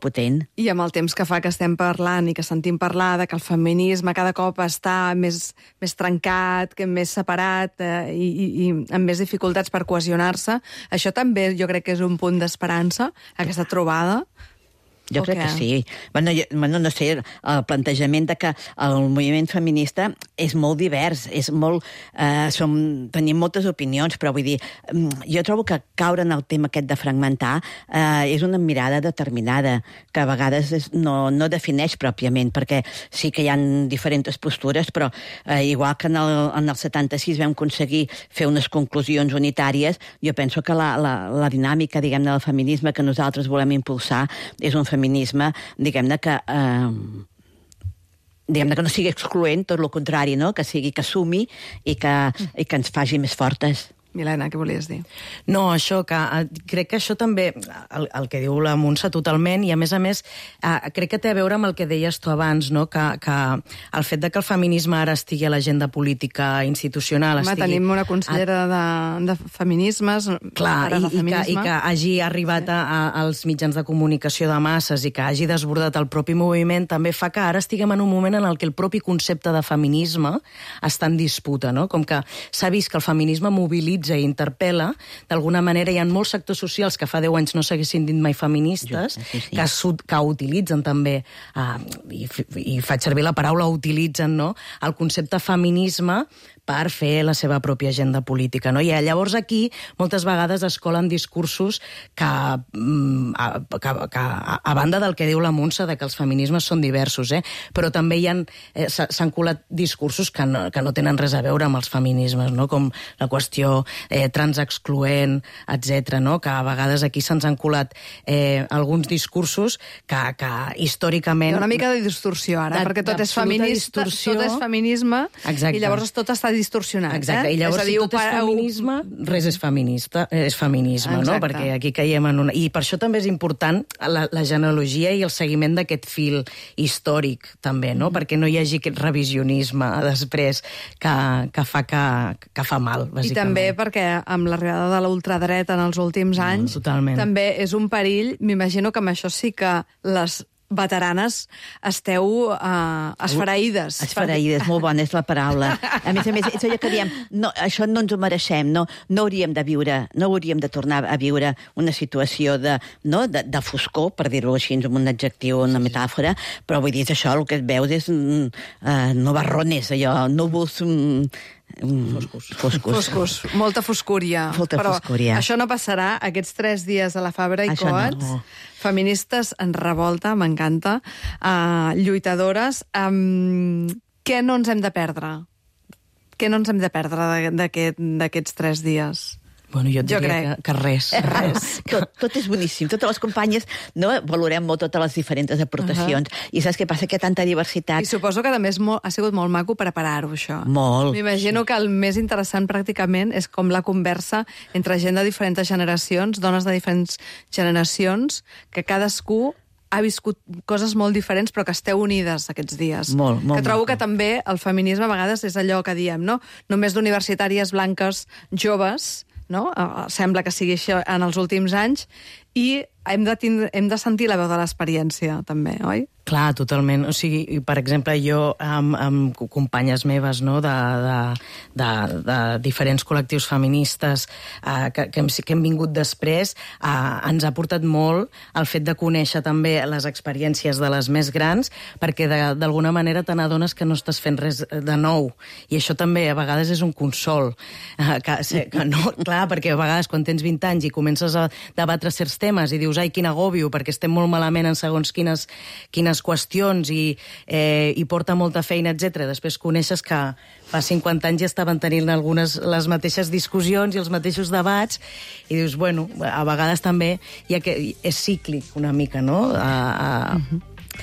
potent. I amb el temps que fa que estem parlant i que sentim parlar de que el feminisme cada cop està més trencat, més separat i amb més dificultats per cohesionar-se, això també jo crec que és un punt d'esperança, aquesta trobada. Jo crec que sí. Bueno, no sé, el plantejament de que el moviment feminista és molt divers, és molt... tenim moltes opinions, però vull dir, jo trobo que caure en el tema aquest de fragmentar és una mirada determinada, que a vegades no defineix pròpiament, perquè sí que hi ha diferents postures, però igual que en el 76 vam aconseguir fer unes conclusions unitàries, jo penso que la dinàmica, diguem-ne, del feminisme que nosaltres volem impulsar és un feminisme, diguem-ne, que no sigui excloent, tot el contrari, no? Que sumi i que ens faci més fortes. Milena, què volies dir? No, això, que crec que això també, el que diu la Montse totalment, i a més, crec que té a veure amb el que deies tu abans, no? Que el fet de que el feminisme ara estigui a l'agenda política institucional... Tenim una consellera de feminismes... Clar, i que hagi arribat als mitjans de comunicació de masses i que hagi desbordat el propi moviment, també fa que ara estiguem en un moment en el que el propi concepte de feminisme està en disputa, no? Com que s'ha vist que el feminisme mobilitza i interpel·la, d'alguna manera hi ha molts sectors socials que fa 10 anys no s'haguessin dit mai feministes, que utilitzen també, i faig servir la paraula utilitzen, no?, el concepte feminisme per fer la seva pròpia agenda política, no? I llavors aquí moltes vegades es colen discursos que a banda del que diu la Montse, de que els feminismes són diversos, però també s'han colat discursos que no tenen res a veure amb els feminismes, no? Com la qüestió transexcloent, etc., no? Que a vegades aquí se'ns han colat alguns discursos que històricament... Hi ha una mica de distorsió ara, perquè tot és feminista, tot és feminisme, i llavors tot està distorsionat. Exacte, i llavors si tot és feminisme, res és feminisme, no? Perquè aquí caiem en una... I per això també és important la genealogia i el seguiment d'aquest fil històric, també, no? Perquè no hi hagi aquest revisionisme després que fa mal, bàsicament. I també perquè amb l'arribada de la ultradreta en els últims anys, també és un perill, m'imagino que amb això sí que les veteranes esteu esfereïdes. Esfereïdes, molt bona és la paraula. A més, és allò que diem, això no ens ho mereixem, no hauríem de viure, no hauríem de tornar a viure una situació de foscor, per dir-ho així, amb un adjectiu, una metàfora, però vull dir, és això, el que et veus és nubarrones, allò, núvols... Foscos, molta foscúria. Però això no passarà aquests 3 dies a la Fabra i Coats. No. Feministes en revolta, m'encanta. Lluitadores. Què no ens hem de perdre? Què no ens hem de perdre d'aquests 3 dies? Bueno, jo diria que res. Tot és boníssim. Totes les companyes valorem molt totes les diferents aportacions. I saps què passa? Que tanta diversitat... I suposo que també ha sigut molt maco preparar-ho, això. Molt. M'imagino que el més interessant pràcticament és com la conversa entre gent de diferents generacions, dones de diferents generacions, que cadascú ha viscut coses molt diferents, però que esteu unides aquests dies. Molt trobo que també el feminisme a vegades és allò que diem, no? Només d'universitàries blanques joves, no? Sembla que sigui això en els últims anys, i hem de sentir la veu de l'experiència, també, oi? Clar, totalment. O sigui, per exemple, jo amb companyes meves, no?, de diferents col·lectius feministes que hem vingut després, ens ha portat molt el fet de conèixer també les experiències de les més grans, perquè d'alguna manera te n'adones que no estàs fent res de nou. I això també a vegades és un consol. Que no, clar, perquè a vegades quan tens 20 anys i comences a debatre certs temes i dius, ai, quin agòbio, perquè estem molt malament en segons quines qüestions i porta molta feina, etc. Després coneixes que fa 50 anys ja estaven tenint les mateixes discussions i els mateixos debats i dius, bueno, a vegades també és cíclic una mica, no?,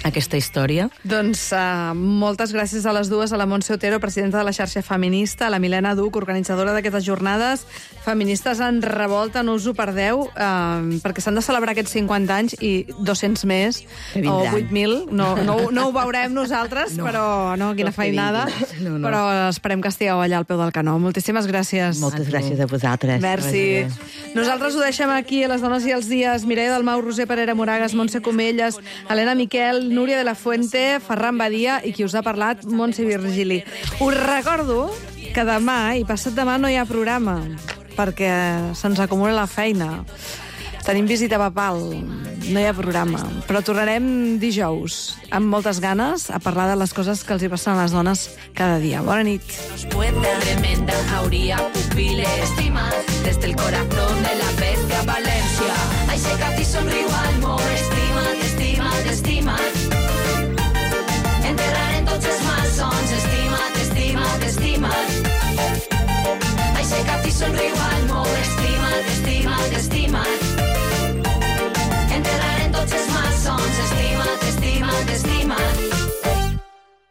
aquesta història. Doncs moltes gràcies a les dues, a la Montse Otero, presidenta de la xarxa feminista, a la Milena Duc, organitzadora d'aquestes jornades feministes en revolta. No us ho perdeu, perquè s'han de celebrar aquests 50 anys i 200 més, o 8.000. No ho veurem nosaltres, però quina feinada. Però esperem que estigueu allà al peu del canó. Moltíssimes gràcies. Moltes gràcies a vosaltres. Merci. Nosaltres ho deixem aquí, a Les Dones i els Dies. Mireia Dalmau, Roser Parera Moragas, Montse Comelles, Helena Miquel, Núria de la Fuente, Ferran Badia i qui us ha parlat, Montse Virgili. Us recordo que demà i passat demà no hi ha programa, perquè se'ns acumula la feina. Tenim visita papal, no hi ha programa. Però tornarem dijous, amb moltes ganes, a parlar de les coses que els hi passen a les dones cada dia. Bona nit. Tremenda jauría, pupiles, estimas, desde el corazón de la bestia Valencia. Ay, sé que a ti sonrío al amor, estima. Enterraré en tots els malsons, estima. Ai, sé que a ti sonrío